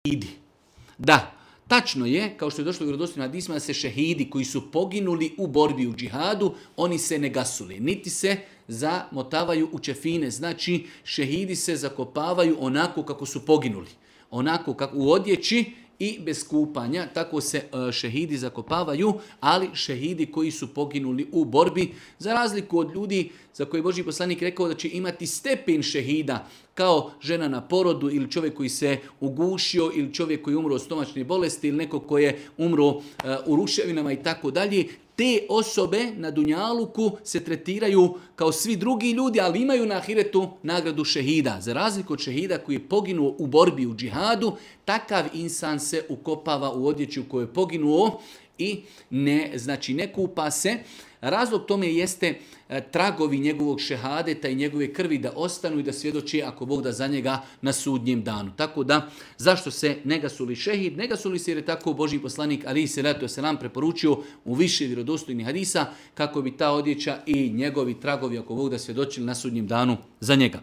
šehidi. Da, tačno je, kao što je došlo u vjerodostojnim hadisima, da se šehidi koji su poginuli u borbi u džihadu, oni se ne gasuli, niti se zamotavaju u čefine. Znači, šehidi se zakopavaju onako kako su poginuli. Onako kako u odjeći i bez kupanja, tako se šehidi zakopavaju, ali šehidi koji su poginuli u borbi, za razliku od ljudi za koje je Božji poslanik rekao da će imati stepen šehida, kao žena na porodu ili čovjek koji se ugušio ili čovjek koji je umro od stomačne bolesti ili neko koji je umro u ruševinama i tako dalje. Te osobe na Dunjaluku se tretiraju kao svi drugi ljudi, ali imaju na ahiretu nagradu šehida. Za razliku od šehida koji je poginuo u borbi u džihadu, takav insan se ukopava u odjeću koju je poginuo i ne kupa se. Razlog tome jeste tragovi njegovog šehadeta i njegove krvi da ostanu i da svjedoči ako Bog da za njega na sudnjem danu. Tako da, zašto se ne gasuli šehid? Ne gasuli se jer je tako Božji poslanik alejhi selatu vesselam preporučio u više vjerodostojnih hadisa kako bi ta odjeća i njegovi tragovi ako Bog da svjedočili na sudnjem danu za njega.